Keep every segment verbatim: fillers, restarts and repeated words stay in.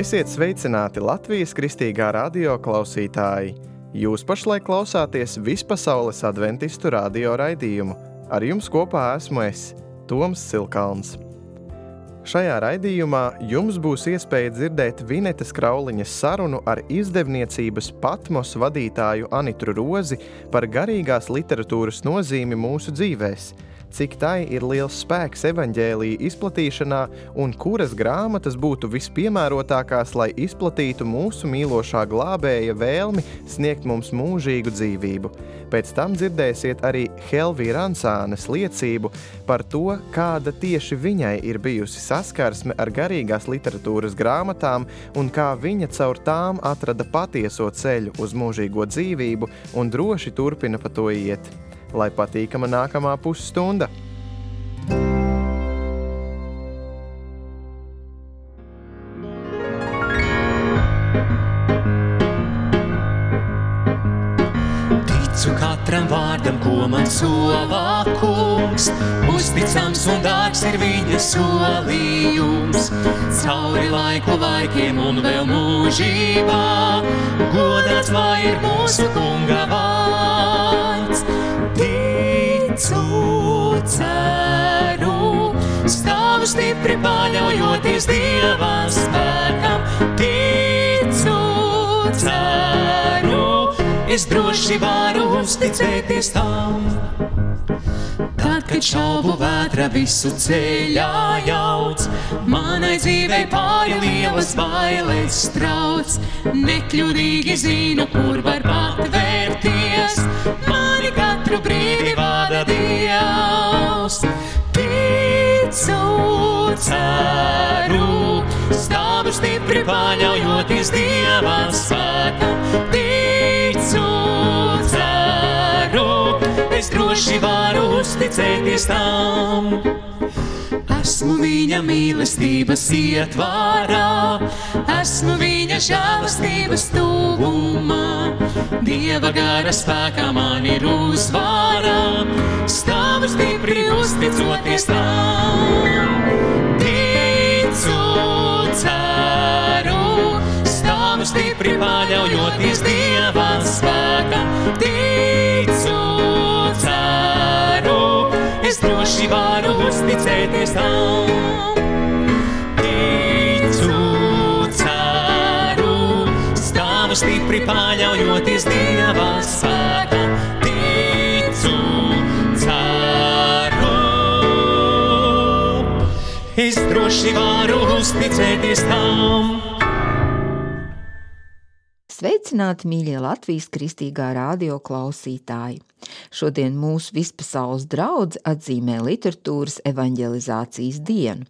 Esiet sveicināti Latvijas Kristīgā radio klausītāji! Jūs pašlaik klausāties Vispasaules adventistu radio raidījumu. Ar jums kopā esmu es, Toms Silkalns. Šajā raidījumā jums būs iespēja dzirdēt Vinetas Krauliņas sarunu ar izdevniecības Patmos vadītāju Anitru Rozi par garīgās literatūras nozīmi mūsu dzīvēs, cik tai ir liels spēks evaņģēlija izplatīšanā un kuras grāmatas būtu vispiemērotākās, lai izplatītu mūsu mīlošā glābēja vēlmi sniegt mums mūžīgu dzīvību. Pēc tam dzirdēsiet arī Helvī Rancānes liecību par to, kāda tieši viņai ir bijusi saskarsme ar garīgās literatūras grāmatām un kā viņa caur tām atrada patieso ceļu uz mūžīgo dzīvību un droši turpina pa to iet. Lai patīkama nākamā pusstunda! Ticu katram vārdam, ko man solā kungs, uzticams un dārgs ir viņa solījums. Cauri laiku laikiem un vēl mūžībā, godāts lai ir mūsu kunga vārds. Ticu, ceru, stāvu stipri paļaujoties Dieva spēkam. Ticu, ceru, es droši varu uzticēties tam. Tad, kad šaubu vētra visu ceļā jauc, manai dzīvei pāri lielas bailes trauc. Nekļūdīgi zinu, kur var patvērties, mani katru brīdi vada Dievs. Ticu, ceru, stāvu stipri paļaujoties Dieva spēkam. Ticu, ceru, es droši varu uzticēties tam. Esmu viņa mīlestības ietvarā, esmu viņa žēlastības tuvumā. Dieva gara spēkā man ir uzvara, stāvu stipri uzticoties tam. Ticu, ceru, stāvu stipri paļaujoties Dieva spēkam. Ticu, ceru, es droši varu uzticēties tam. Ticu, ceru, stāvu stipri paļaujoties Dieva spēkam. Ticu, ceru, es droši varu uzticēties tam. Sveicināti, mīļie Latvijas Kristīgā radio klausītāji! Šodien mūsu vispasaules draudze atzīmē literatūras evaņģelizācijas dienu.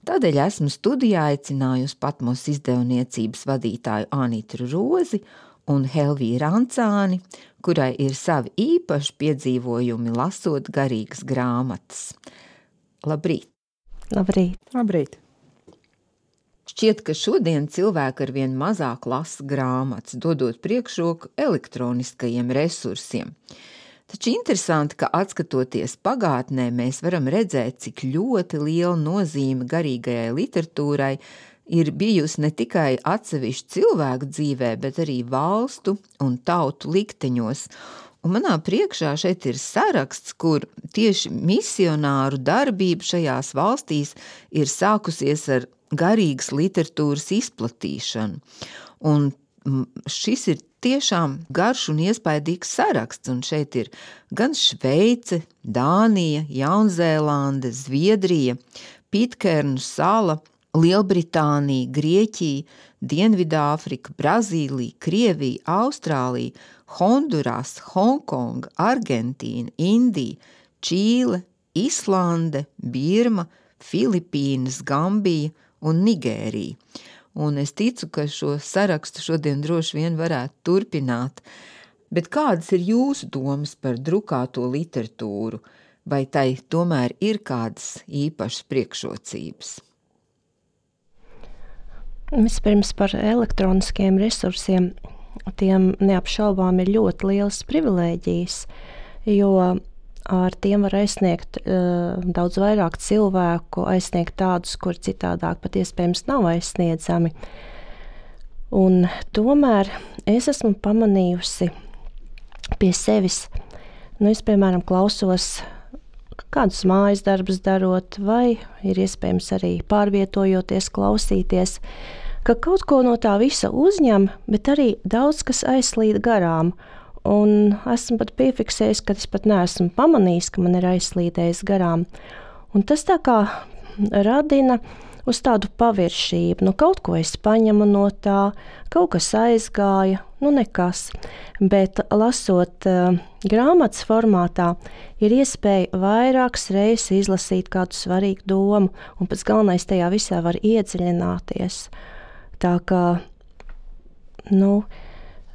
Tādēļ esmu studijā aicinājusi Patmos izdevniecības vadītāju Anitru Rozi un Helvī Rancāni, kurai ir savi īpaši piedzīvojumi lasot garīgas grāmatas. Labrīt! Labrīt! Labrīt! Šķiet, ka šodien cilvēki arvien mazāk lasa grāmatas, dodot priekšroku elektroniskajiem resursiem. Taču interesanti, ka atskatoties pagātnē, mēs varam redzēt, cik ļoti liela nozīme garīgajai literatūrai ir bijusi ne tikai atsevišķu cilvēku dzīvē, bet arī valstu un tautu likteņos. Un manā priekšā šeit ir saraksts, kur tieši misionāru darbība šajās valstīs ir sākusies ar garīgas literatūras izplatīšanu. Un šis ir tiešām garš un iespaidīgs saraksts, un šeit ir gan Šveice, Dānija, Jaunzēlande, Zviedrija, Pitkernu sala, Lielbritānija, Grieķija, Dienvidāfrika, Brazīlija, Krievija, Austrālija, Honduras, Hongkonga, Argentīna, Indija, Čīle, Islande, Birma, Filipīnas, Gambija un Nigērija. Un es ticu, ka šo sarakstu šodien droši vien varētu turpināt. Bet kādas ir jūsu domas par drukāto literatūru? Vai tai tomēr ir kādas īpašas priekšrocības? Vispirms par elektroniskiem resursiem. Tiem neapšaubām ir ļoti lielas privilēģijas, jo ar tiem var aizsniegt uh, daudz vairāk cilvēku, aizsniegt tādus, kur citādāk pat iespējams nav aizsniedzami. Un tomēr es esmu pamanījusi pie sevis, nu es, piemēram, klausos kādus mājas darbus darot, vai ir iespējams arī pārvietojoties, klausīties, ka kaut ko no tā visa uzņem, bet arī daudz kas aizslīd garām. Un esmu pat piefiksējis, ka es pat neesmu pamanījis, ka man ir aizslīdējis garām. Un tas tā kā radina uz tādu paviršību. Nu, kaut ko es paņemu no tā, kaut kas aizgāja, nu nekas. Bet lasot uh, grāmatas formātā, ir iespēja vairākas reizes izlasīt kādu svarīgu domu, un pats galvenais tajā visā var iedziļināties. Tā kā, nu,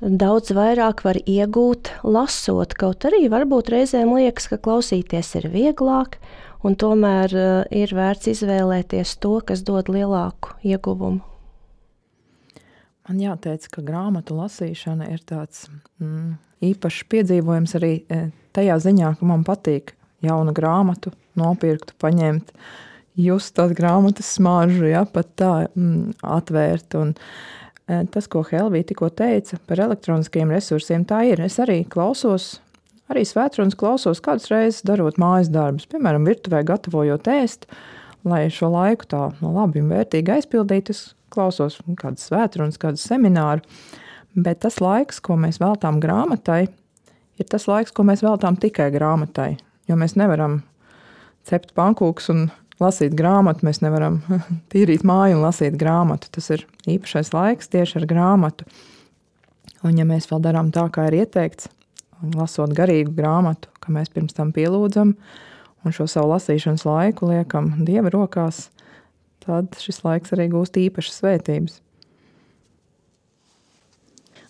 daudz vairāk var iegūt, lasot, kaut arī varbūt reizēm liekas, ka klausīties ir vieglāk, un tomēr uh, ir vērts izvēlēties to, kas dod lielāku ieguvumu. Man jāteic, ka grāmatu lasīšana ir tāds mm, īpašs piedzīvojums arī tajā ziņā, ka man patīk jaunu grāmatu nopirkt, paņemt, just tās grāmatas smaržu, ja, pat tā mm, atvērt. Un tas, ko Helvija tikko teica par elektroniskiem resursiem, tā ir. Es arī klausos, arī svētrunas klausos kādus reizes darot mājas darbus, piemēram, virtuvē gatavojot ēst, lai šo laiku tā no labi un vērtīgi aizpildīt. Es klausos kādas svētrunas, kādas semināru, bet tas laiks, ko mēs veltām grāmatai, ir tas laiks, ko mēs veltām tikai grāmatai, jo mēs nevaram cept pankūkus un lasīt grāmatu, mēs nevaram tīrīt māju un lasīt grāmatu. Tas ir īpašais laiks tieši ar grāmatu. Un ja mēs vēl darām tā, kā ir ieteikts, lasot garīgu grāmatu, ka mēs pirms tam pielūdzam un šo savu lasīšanas laiku liekam Dieva rokās, tad šis laiks arī gūst īpašas svētības.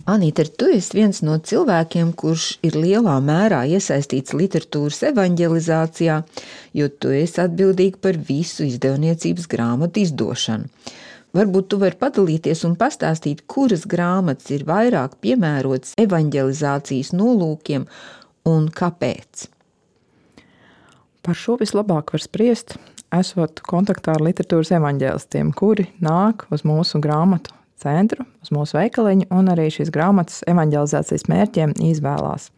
Anīta, tu esi viens no cilvēkiem, kurš ir lielā mērā iesaistīts literatūras evaņģelizācijā, jo tu esi atbildīgi par visu izdevniecības grāmatu izdošanu. Varbūt tu vari padalīties un pastāstīt, kuras grāmatas ir vairāk piemērotas evaņģelizācijas nolūkiem un kāpēc? Par šo vislabāk var spriest, esot kontaktā ar literatūras evaņģēlistiem, kuri nāk uz mūsu grāmatu centru, uz mūsu veikaliņu un arī šīs grāmatas evaņģelizācijas mērķiem izvēlās.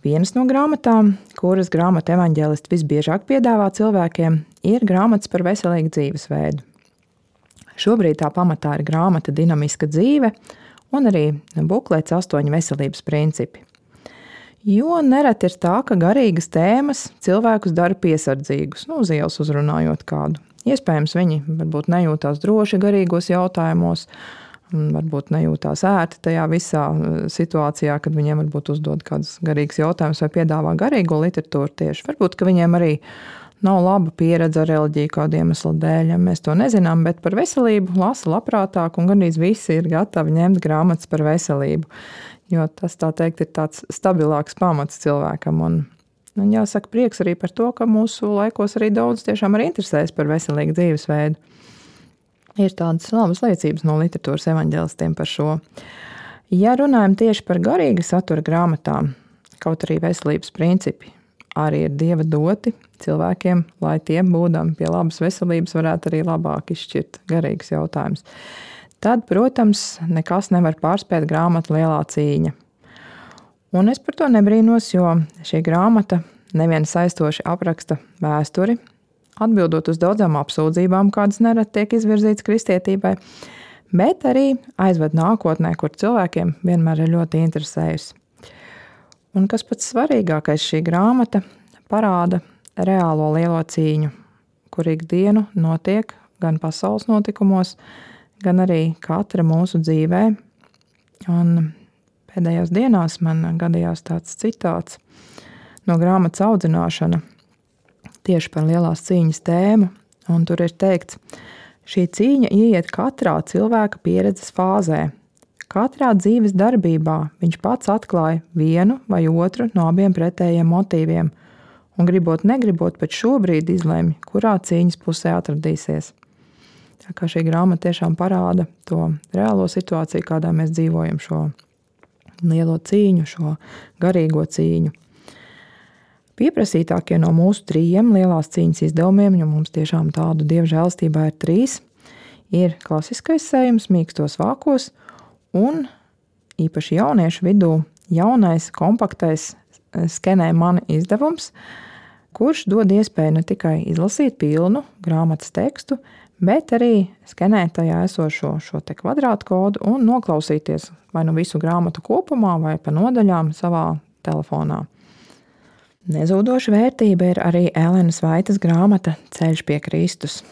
Vienas no grāmatām, kuras grāmatu evaņģēlisti visbiežāk piedāvā cilvēkiem, ir grāmatas par veselīgu dzīvesveidu. Šobrīd tā pamatā ir grāmata Dinamiska dzīve un arī buklets astoņi veselības principi. Jo nereti ir tā, ka garīgas tēmas cilvēkus dara piesardzīgus, nu, uz ielas uzrunājot kādu. Iespējams, viņi varbūt nejūtās droši garīgos jautājumos, varbūt nejūtās ērti tajā visā situācijā, kad viņiem varbūt uzdod kādus garīgus jautājumus vai piedāvā garīgo literatūru tieši. Varbūt, ka viņiem arī nav laba pieredze ar reliģiju kādu iemeslu dēļ, ja mēs to nezinām, bet par veselību lasa labprātāk un gandrīz visi ir gatavi ņemt grāmatas par veselību. Jo tas, tā teikt, ir tāds stabilāks pamats cilvēkam. Un, un jāsaka prieks arī par to, ka mūsu laikos arī daudz tiešām arī interesēs par veselīgu dzīvesveidu. Ir tādas labas liecības no literatūras evaņģēlistiem par šo. Ja runājam tieši par garīga satura grāmatām, kaut arī veselības principi arī ir Dieva doti cilvēkiem, lai tie būdami pie labas veselības varētu arī labāk izšķirt garīgus jautājumus. Tad, protams, nekas nevar pārspēt grāmatu Lielā cīņa. Un es par to nebrīnos, jo šī grāmata nevien saistoši apraksta vēsturi, atbildot uz daudzām apsūdzībām, kādas nerad tiek izvirzītas kristietībai, bet arī aizved nākotnē, kur cilvēkiem vienmēr ir ļoti interesējusi. Un kas pats svarīgākais, šī grāmata parāda reālo lielo cīņu, kur ikdienu notiek gan pasaules notikumos, gan arī katra mūsu dzīvē. Un pēdējās dienās man gadījās tāds citāts no grāmatas Audzināšana tieši par lielās cīņas tēmu, un tur ir teikts, šī cīņa ieiet katrā cilvēka pieredzes fāzē. Katrā dzīves darbībā viņš pats atklāja vienu vai otru no abiem pretējiem motīviem, un gribot negribot pēc šobrīd izlemj, kurā cīņas pusē atradīsies. Tā kā šī grāmata tiešām parāda to reālo situāciju, kādā mēs dzīvojam, šo lielo cīņu, šo garīgo cīņu. Pieprasītākie no mūsu trījiem lielās cīņas izdevumiem, jo mums tiešām tādu Dieva žēlstībā ir trīs, ir klasiskais sējums mīkstos vākos un īpaši jauniešu vidū jaunais, kompaktais Skenē mani izdevums, kurš dod iespēju ne tikai izlasīt pilnu grāmatas tekstu, bet arī skenēt tajā esošo šo te kvadrātkodu un noklausīties vai nu visu grāmatu kopumā vai pa nodaļām savā telefonā. Nezūdoša vērtība ir arī Elenas Vaitas grāmata Ceļš pie Kristus.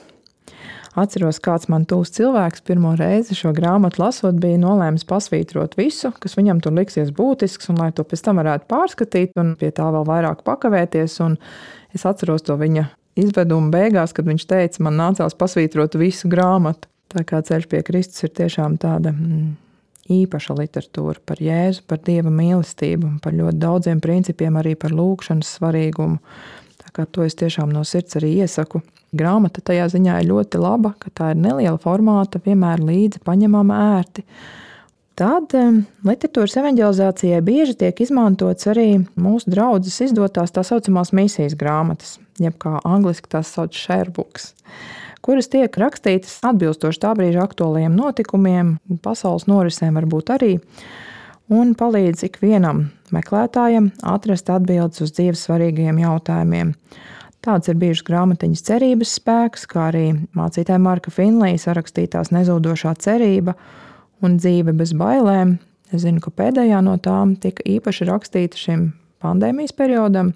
Atceros, kāds man tūs cilvēks pirmo reizi šo grāmatu lasot bija nolēmis pasvītrot visu, kas viņam tur liksies būtisks, un lai to pēc tam varētu pārskatīt un pie tā vēl vairāk pakavēties. Un es atceros to viņa izvedumu beigās, kad viņš teica, man nācās pasvītrot visu grāmatu. Tā kā Ceļš pie Kristus ir tiešām tāda mm, īpaša literatūra par Jēzu, par Dieva mīlestību, par ļoti daudziem principiem, arī par lūgšanas svarīgumu. Tā kā to es tiešām no sirds arī iesaku. Grāmata tajā ziņā ir ļoti laba, ka tā ir neliela formāta, vienmēr līdzi paņemama ērti. Tad literatūras evanģelizācijai bieži tiek izmantots arī mūsu draudzes izdotās tā saucamās misijas grāmatas, jeb kā angliski tās sauc share books, kuras tiek rakstītas atbilstoši tā brīža aktuālajiem notikumiem, pasaules norisēm varbūt arī, un palīdz ikvienam meklētājam atrast atbildes uz dzīves svarīgajiem jautājumiem. Tāds ir bijušas grāmatiņas Cerības spēks, kā arī mācītāja Marka Finlija sarakstītās Nezūdošā cerība un Dzīve bez bailēm. Es zinu, ka pēdējā no tām tika īpaši rakstīta šim pandēmijas periodam,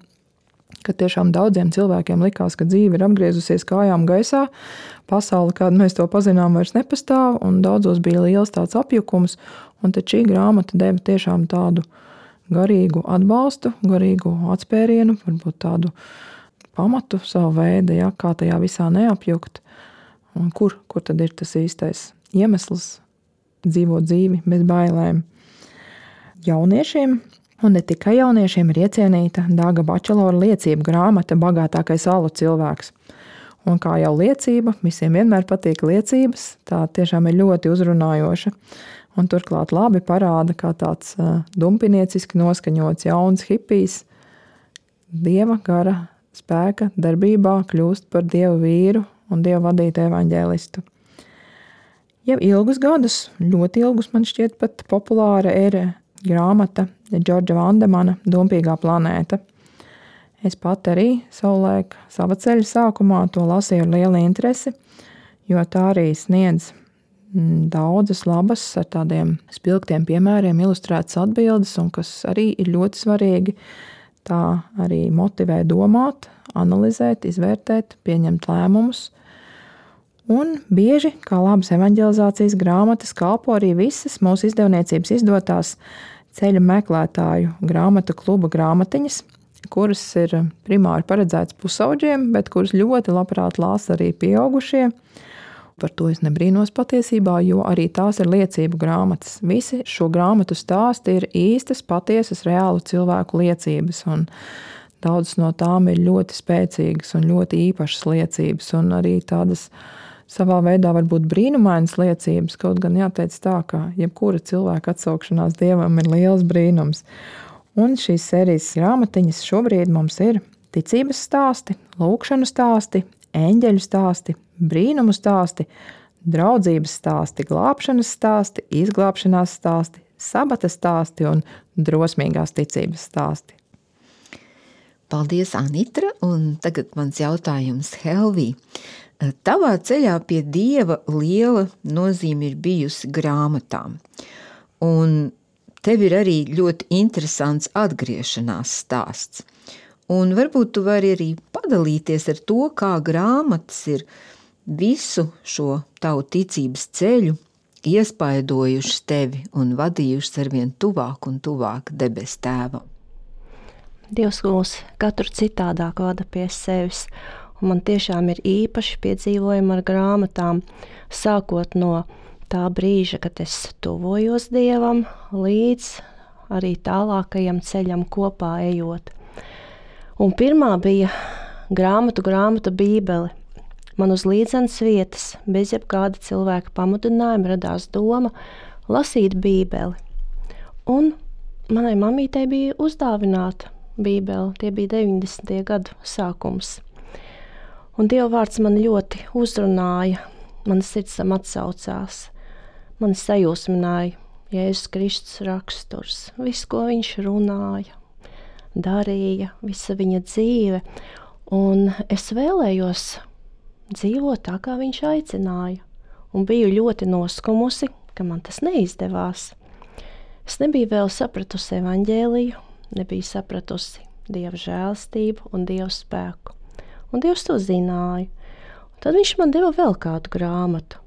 kad tiešām daudziem cilvēkiem likās, ka dzīve ir apgriezusies kājām gaisā, pasaule, kādu mēs to pazinām, vairs nepastāv, un daudzos bija liels tāds apjukums, un tad šī grāmata deva tiešām tādu garīgu atbalstu, garīgu atspērienu, varbūt tādu pamatu savu veidu, ja, kā tajā visā neapjukt, un kur, kur tad ir tas īstais iemesls dzīvot dzīvi bez bailēm. Jauniešiem, un ne tikai jauniešiem, ir iecienīta Dāga Bačelora liecību grāmata Bagātākais alu cilvēks. Un kā jau liecība, visiem vienmēr patīk liecības, tā tiešām ir ļoti uzrunājoša, un turklāt labi parāda, kā tāds uh, dumpinieciski noskaņots jauns hipijs Dieva gara spēka darbībā kļūst par Dievu vīru un Dievu vadītu evaņģēlistu. Jau ilgus gadus, ļoti ilgus man šķiet pat populāra ir grāmata Džordža Vandemana Dumpīgā planēta. Es pat arī savulaik sava ceļa sākumā to lasīju ar lielu interesi, jo tā arī sniedz daudzas labas ar tādiem spilgtiem piemēriem ilustrētas atbildes, un kas arī ir ļoti svarīgi, tā arī motivē domāt, analizēt, izvērtēt, pieņemt lēmumus. Un bieži, kā labas evaņģelizācijas grāmatas, kalpo arī visas mūsu izdevniecības izdotās ceļa meklētāju grāmatu kluba grāmatiņas, kuras ir primāri paredzētas pusauģiem, bet kuras ļoti labprāt lasa arī pieaugušie. Par to es nebrīnos patiesībā, jo arī tās ir liecību grāmatas. Visi šo grāmatu stāsti ir īstas, patiesas, reālu cilvēku liecības, un daudzas no tām ir ļoti spēcīgas un ļoti īpašas liecības, un arī tādas savā veidā varbūt brīnumainas liecības, kaut gan jāteic tā, ka jebkura cilvēka atsaukšanās Dievam ir liels brīnums. Un šīs sērijas grāmatiņas šobrīd mums ir ticības stāsti, lūkšanu stāsti, eņģeļu stāsti, brīnumu stāsti, draudzības stāsti, glābšanas stāsti, izglābšanās stāsti, sabata stāsti un drosmīgās ticības stāsti. Paldies, Anitra, un tagad mans jautājums Helvī. Tavā ceļā pie Dieva liela nozīme ir bijusi grāmatām, un tev ir arī ļoti interesants atgriešanās stāsts. Un varbūt tu vari arī padalīties ar to, kā grāmatas ir visu šo tavu ticības ceļu iespaidojušas tevi un vadījušas arvien tuvāk un tuvāk debes tēvam. Dievs mūs katru citādāk vada pie sevis, un man tiešām ir īpaši piedzīvojumi ar grāmatām, sākot no tā brīža, kad es tuvojos Dievam, līdz arī tālākajam ceļam kopā ejot. Un pirmā bija grāmatu grāmata Bībele. Man uz līdzenas vietas, bez jebkāda cilvēka pamudinājuma, radās doma lasīt Bībeli. Un manai mamītei bija uzdāvināta Bībele, tie bija deviņdesmitie gadu sākums. Un Dieva vārds man ļoti uzrunāja, man sirds tam atsaucās. Man sajūsmināja Jēzus Kristus raksturs, viss, ko viņš runāja, darīja, visa viņa dzīve. Un es vēlējos dzīvot tā, kā viņš aicināja. Un biju ļoti noskumusi, ka man tas neizdevās. Es nebiju vēl sapratusi evaņģēliju, nebiju sapratusi Dieva žēlastību un Dieva spēku. Un Dievs to zināja. Un tad viņš man deva vēl kādu grāmatu.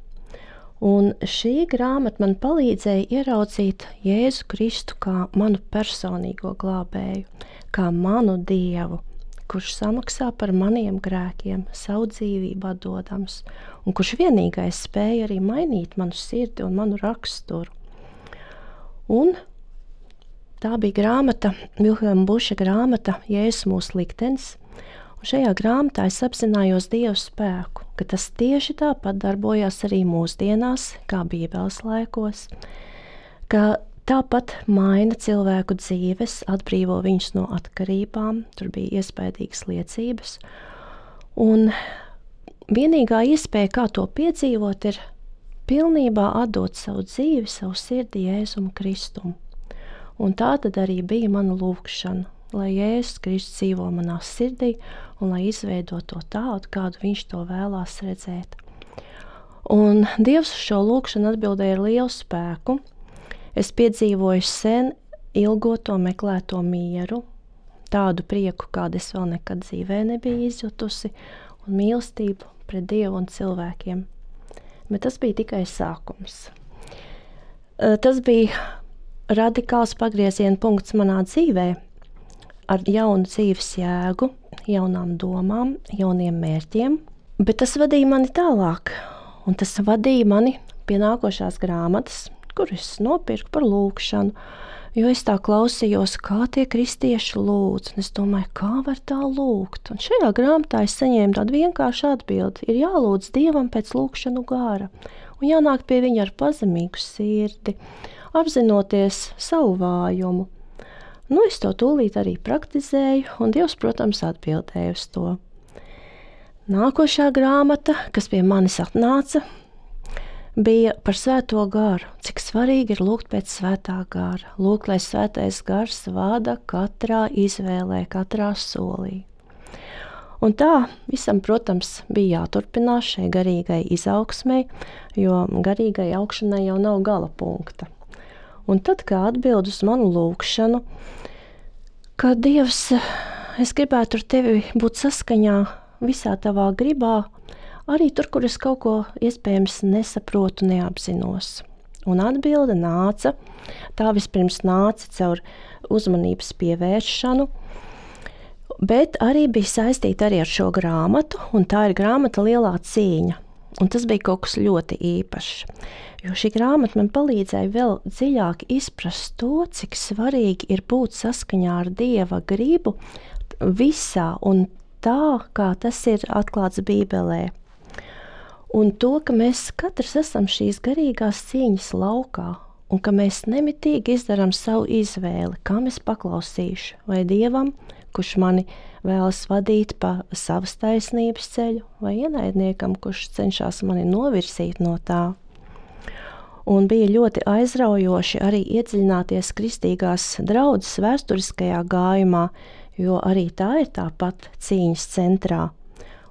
Un šī grāmata man palīdzēja ieraudzīt Jēzu Kristu kā manu personīgo glābēju, kā manu Dievu, kurš samaksā par maniem grēkiem, savu dzīvību atdodams, un kurš vienīgais spēja arī mainīt manu sirdi un manu raksturu. Un tā bija grāmata, Vilhelma Buša grāmata Jēzus mūsu liktenis, un šajā grāmatā es apzinājos Dievu spēku, ka tas tieši tāpat darbojās arī mūsdienās, kā Bībeles laikos, ka tāpat maina cilvēku dzīves, atbrīvo viņus no atkarībām, tur bija iespaidīgas liecības, un vienīgā iespēja, kā to piedzīvot, ir pilnībā atdot savu dzīvi, savu sirdi Jēzum Kristum. Un tā tad arī bija mana lūgšana, lai Jēzus Kristus dzīvo manā sirdī un lai izveido to tādu, kādu viņš to vēlās redzēt. Un Dievs šo lūgšanu atbildēja ar lielu spēku. Es piedzīvoju sen ilgoto meklēto mieru, tādu prieku, kādu es vēl nekad dzīvē nebiju izjutusi, un mīlestību pret Dievu un cilvēkiem. Bet tas bija tikai sākums. Tas bija radikāls pagrieziena punkts manā dzīvē, ar jaunu dzīves jēgu, jaunām domām, jauniem mērķiem, bet tas vadīja mani tālāk, un tas vadīja mani pie nākošās grāmatas, kur es nopirku par lūgšanu, jo es tā klausījos, kā tie kristieši lūdz, un es domāju, kā var tā lūgt, un šajā grāmatā es saņēmu tādu vienkāršu atbildi, ir jālūdz Dievam pēc lūgšanu gāra, un jānāk pie viņa ar pazemīgu sirdi, apzinoties savu vājumu. Nu, es to tūlīt arī praktizēju, un Dievs, protams, atbildēja uz to. Nākošā grāmata, kas pie manis atnāca, bija par svēto garu, cik svarīgi ir lūgt pēc svētā gara, lūgt, lai svētais gars vada katrā izvēlē, katrā solī. Un tā visam, protams, bija jāturpinās šai garīgai izaugsmei, jo garīgai augšanai jau nav gala punkta. Un tad, kā atbild uz manu lūgšanu, ka Dievs, es gribētu ar tevi būt saskaņā visā tavā gribā, arī tur, kur es kaut ko iespējams nesaprotu, neapzinos. Un atbilde nāca, tā vispirms nāca caur uzmanības pievēršanu, bet arī bija saistīta arī ar šo grāmatu, un tā ir grāmata Lielā cīņa. Un tas bija kaut kas ļoti īpašs, jo šī grāmata man palīdzēja vēl dziļāk izprast to, cik svarīgi ir būt saskaņā ar Dieva gribu visā un tā, kā tas ir atklāts Bībelē. Un to, ka mēs katrs esam šīs garīgās cīņas laukā, un ka mēs nemitīgi izdarām savu izvēli, kam es paklausīšu, vai Dievam, kurš mani vēlas vadīt pa savas taisnības ceļu, vai ienaidniekam, kurš cenšas mani novirzīt no tā. Un bija ļoti aizraujoši arī iedziļināties kristīgās draudzes vēsturiskajā gājumā, jo arī tā ir tāpat cīņas centrā.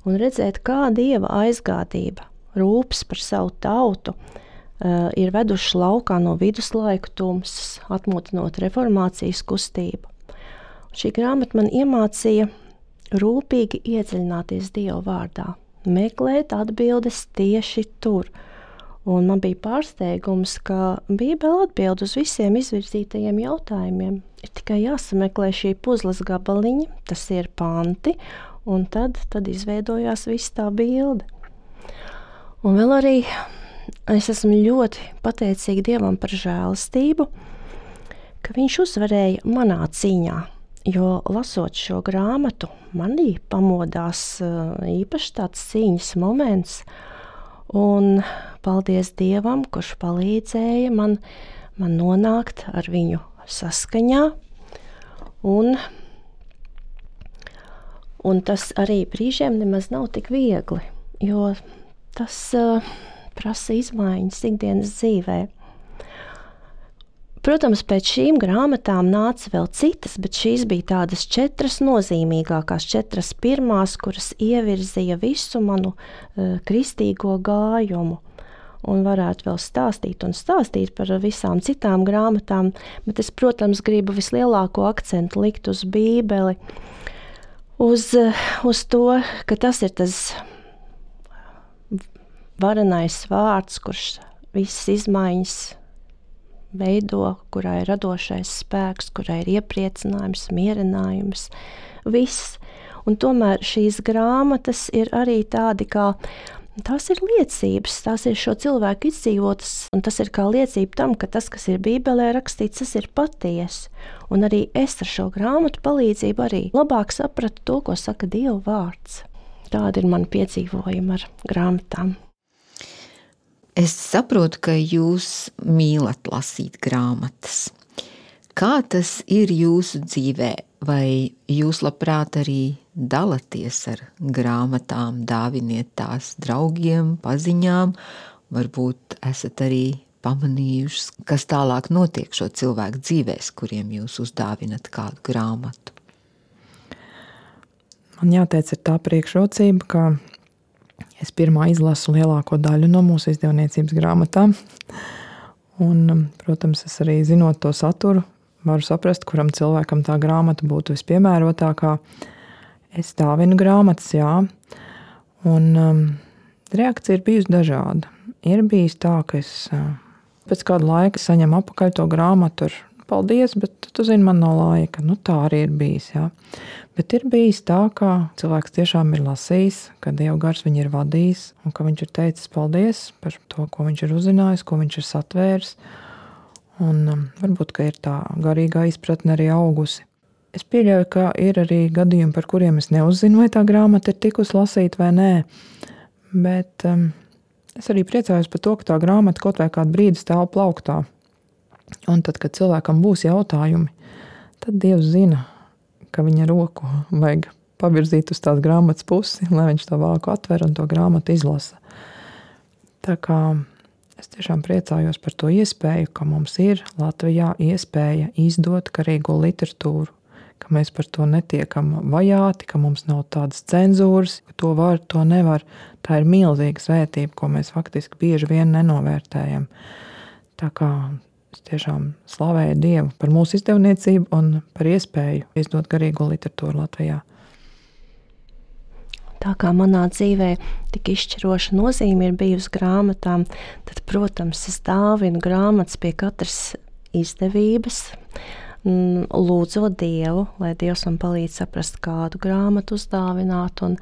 Un redzēt, kā Dieva aizgādība, rūpes par savu tautu, uh, ir veduši laukā no viduslaiku tumsas, atmotinot reformācijas kustību. Šī grāmata man iemācīja rūpīgi iedziļināties Dieva vārdā, meklēt atbildes tieši tur. Un man bija pārsteigums, ka Bībele atbild uz visiem izvirzītajiem jautājumiem. Ir tikai jāsameklē šī puzles gabaliņi, tas ir panti, un tad, tad izveidojās viss tā bilde. Un vēl arī es esmu ļoti pateicīga Dievam par žēlastību, ka viņš uzvarēja manā cīņā, jo lasot šo grāmatu, manī pamodās īpaši tāds cīņas moments, un paldies Dievam, kurš palīdzēja man, man nonākt ar viņu saskaņā, un, un tas arī brīžiem nemaz nav tik viegli, jo tas, prasa izmaiņas ikdienas dzīvē. Protams, pēc šīm grāmatām nāca vēl citas, bet šīs bija tādas četras nozīmīgākās, četras pirmās, kuras ievirzīja visu manu uh, kristīgo gājumu. Un varētu vēl stāstīt un stāstīt par visām citām grāmatām, bet es, protams, gribu vislielāko akcentu likt uz Bībeli, uz, uz to, ka tas ir tas varenais vārds, kurš visas izmaiņas veido, kurā ir radošais spēks, kurā ir iepriecinājums, mierinājums, viss. Un tomēr šīs grāmatas ir arī tādi kā, tās ir liecības, tās ir šo cilvēku izdzīvotas, un tas ir kā liecība tam, ka tas, kas ir Bībelē rakstīts, tas ir patiesi. Un arī es ar šo grāmatu palīdzību arī labāk sapratu to, ko saka Dieva vārds. Tāda ir mana piedzīvojuma ar grāmatām. Es saprotu, ka jūs mīlat lasīt grāmatas. Kā tas ir jūsu dzīvē? Vai jūs labprāt arī dalaties ar grāmatām, dāviniet tās draugiem, paziņām? Varbūt esat arī pamanījuši, kas tālāk notiek šo cilvēku dzīvēs, kuriem jūs uzdāvinat kādu grāmatu? Man jāteic, ir tā priekšrocība, ka es pirmā izlasu lielāko daļu no mūsu izdevniecības grāmatām. Un, protams, es arī zinot to saturu, varu saprast, kuram cilvēkam tā grāmata būtu vispiemērotākā. Es dāvinu grāmatas, jā. Un um, reakcija ir bijusi dažāda. Ir bijis tā, ka es uh, pēc kāda laika saņemu apakaļ to grāmatu ar paldies, bet tu zini, man nav laika. Nu, tā arī ir bijis, jā. Bet ir bijis tā, ka cilvēks tiešām ir lasījis, ka Dieva gars viņu ir vadījis un ka viņš ir teicis paldies par to, ko viņš ir uzzinājis, ko viņš ir satvēris. Un um, varbūt, ka ir tā garīgā izpratne arī augusi. Es pieļauju, ka ir arī gadījumi, par kuriem es neuzzinu, vai tā grāmata ir tikus lasīt vai nē. Bet um, es arī priecājos par to, ka tā grāmata kaut vai kādu brīdi stāv plauktā. Un tad, kad cilvēkam būs jautājumi, tad Dievs zina, ka viņa roku vajag pavirzīt uz tās grāmatas pusi, lai viņš to vāku atver un to grāmatu izlasa. Tā kā es tiešām priecājos par to iespēju, ka mums ir Latvijā iespēja izdot garīgo literatūru, ka mēs par to netiekam vajāti, ka mums nav tādas cenzūras, ka to var, to nevar. Tā ir milzīga svētība, ko mēs faktiski bieži vien nenovērtējam. Tā kā es tiešām slavēju Dievu par mūsu izdevniecību un par iespēju izdot garīgo literatūru Latvijā. Tā kā manā dzīvē tik izšķiroša nozīme ir bijusi grāmatām, tad, protams, es dāvinu grāmatas pie katras izdevības, lūdzot Dievu, lai Dievs man palīdz saprast, kādu grāmatu uzdāvināt. Un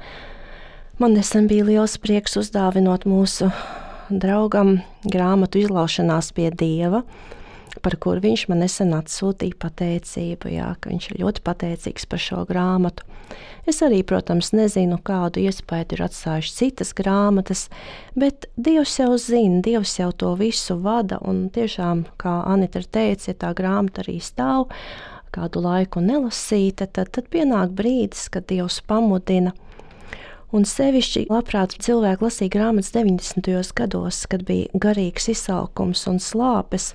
man nesen bija liels prieks uzdāvinot mūsu draugam grāmatu izlaušanās pie Dieva, par kur viņš man nesen atsūtīja pateicību, jā, ka viņš ir ļoti pateicīgs par šo grāmatu. Es arī, protams, nezinu, kādu iespēju ir atstājuši citas grāmatas, bet Dievs jau zina, Dievs jau to visu vada, un tiešām, kā Anita teica, ja tā grāmata arī stāv kādu laiku nelasīta, tad, tad pienāk brīdis, kad Dievs pamudina. Un sevišķi labprāt cilvēki lasīja grāmatas deviņdesmitajos gados, kad bija garīgs izsalkums un slāpes,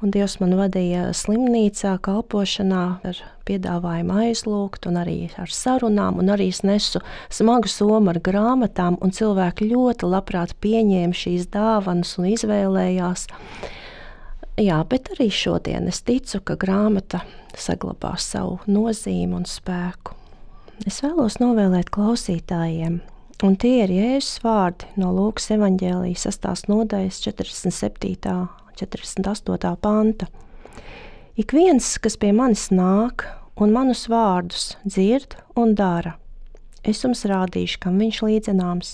un Dievs man vadīja slimnīcā kalpošanā ar piedāvājumu aizlūgt un arī ar sarunām, un arī es nesu smagu somu ar grāmatām, un cilvēki ļoti labprāt pieņēma šīs dāvanas un izvēlējās. Jā, bet arī šodien es ticu, ka grāmata saglabās savu nozīmi un spēku. Es vēlos novēlēt klausītājiem, un tie ir Jēzus vārdi no Lūkas evaņģēlijas sastās nodaļas četrdesmit septītā, četrdesmit astotā panta. Ik viens, kas pie manis nāk un manus vārdus dzird un dara, es jums rādīšu, kam viņš līdzināms.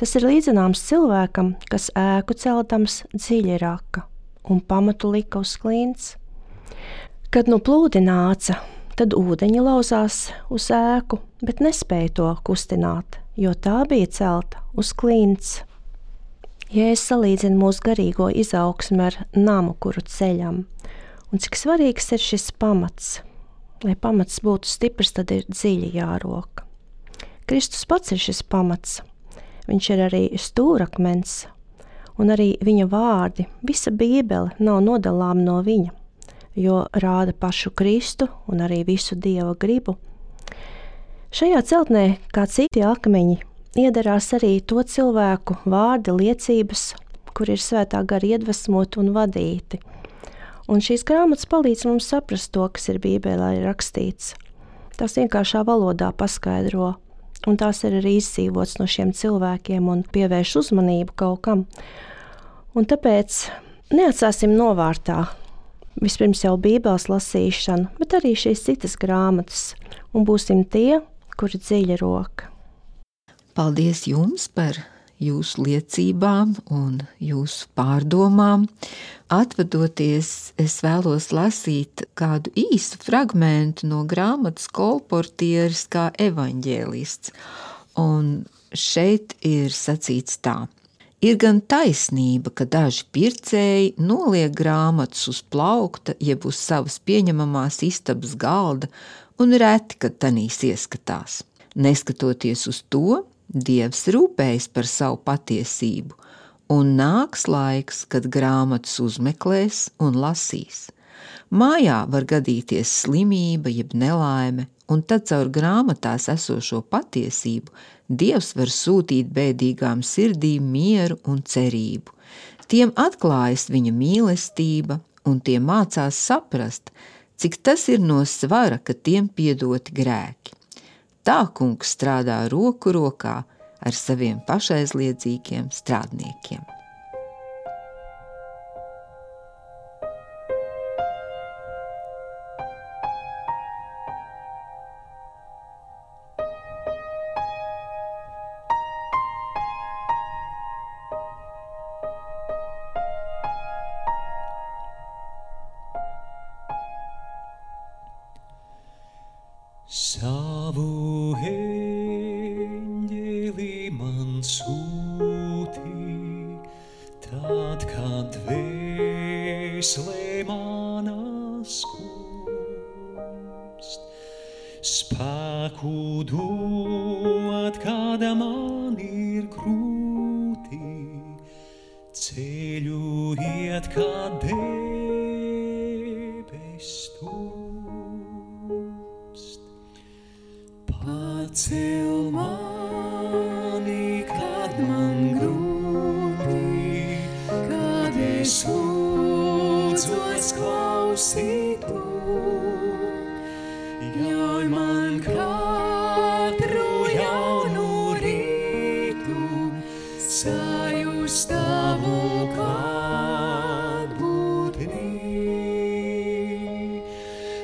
Tas ir līdzināms cilvēkam, kas ēku celdams dziļi raka un pamatu lika uz klints. Kad nu plūdi nāca, tad ūdeņi lauzās uz ēku, bet nespēja to kustināt, jo tā bija celta uz klints. Jēzus salīdzina mūsu garīgo izaugsmi ar namu, kuru ceļam. Un cik svarīgs ir šis pamats. Lai pamats būtu stiprs, tad ir dziļi jāroka. Kristus pats ir šis pamats. Viņš ir arī stūrakmens. un arī viņa vārdi, visa Bībele nav nodalām no viņa, jo rāda pašu Kristu un arī visu Dieva gribu. Šajā celtnē, kā citi akmeņi, iederās arī to cilvēku vārdi, liecības, kur ir svētā gara iedvesmoti un vadīti. Un šīs grāmatas palīdz mums saprast to, kas ir Bībelē rakstīts. Tās vienkāršā valodā paskaidro, un tās ir arī izdzīvots no šiem cilvēkiem un pievērš uzmanību kaut kam. Un tāpēc neatstāsim novārtā vispirms jau Bībeles lasīšanu, bet arī šīs citas grāmatas, un būsim tie, kuri dziļa roka. Paldies jums par jūsu liecībām un jūsu pārdomām. Atvadoties, es vēlos lasīt kādu īstu fragmentu no grāmatas Kolportieris kā evaņģēlists. Un šeit ir sacīts tā. Ir gan taisnība, ka daži pircēji noliek grāmatas uz plaukta, jeb uz savas pieņemamās istabas galda, un reti, kad tanīs ieskatās. Neskatoties uz to, Dievs rūpējas par savu patiesību, un nāks laiks, kad grāmatas uzmeklēs un lasīs. Mājā var gadīties slimība jeb nelaime, un tad caur grāmatās esošo patiesību Dievs var sūtīt bēdīgām sirdīm mieru un cerību. Tiem atklājas viņa mīlestība, un tie mācās saprast, cik tas ir no svara, ka tiem piedoti grēki. Tā kungs strādā roku rokā ar saviem pašaizliedzīgiem strādniekiem. Savu eņģeli man sūtī, tad, kad dvēselē manā skumst, spēku dot, kad man ir grūti, ceļu iet, kad debes tūst. Pacel mani, kad man grūti, kad es lūdzos klausīt tu. Ļauj man katru jaunu rītu sajust tavu klātbūtni.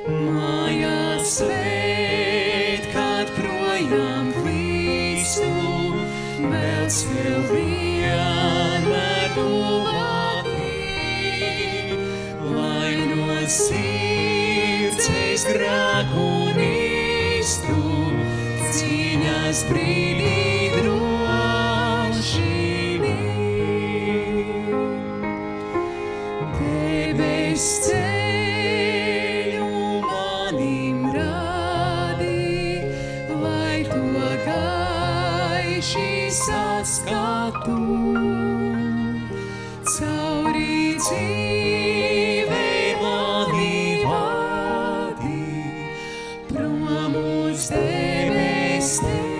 Mājās Mēs vēl vienmēr tuvāki, lai no sirds es grēku nīstu, cīņas brīdī drošinī. Debes ceļu manim rādi, lai to gaiši saskatu, cauri dzīvei mani vadi, prom uz debes tevi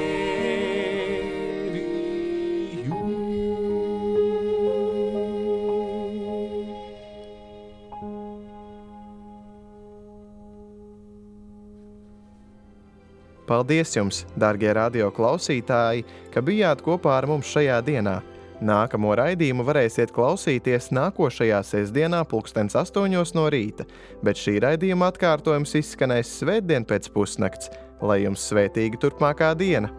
Paldies jums, darbie radio klausītāji, ka bijāt kopā ar mums šajā dienā. Nākamo raidījumu varēsiet klausīties nākošajā sestdienā pulkstens astoņos no rīta, bet šī raidījuma atkārtojums izskanēs svētdien pēc pusnakts. Lai jums svētīga turpmākā diena!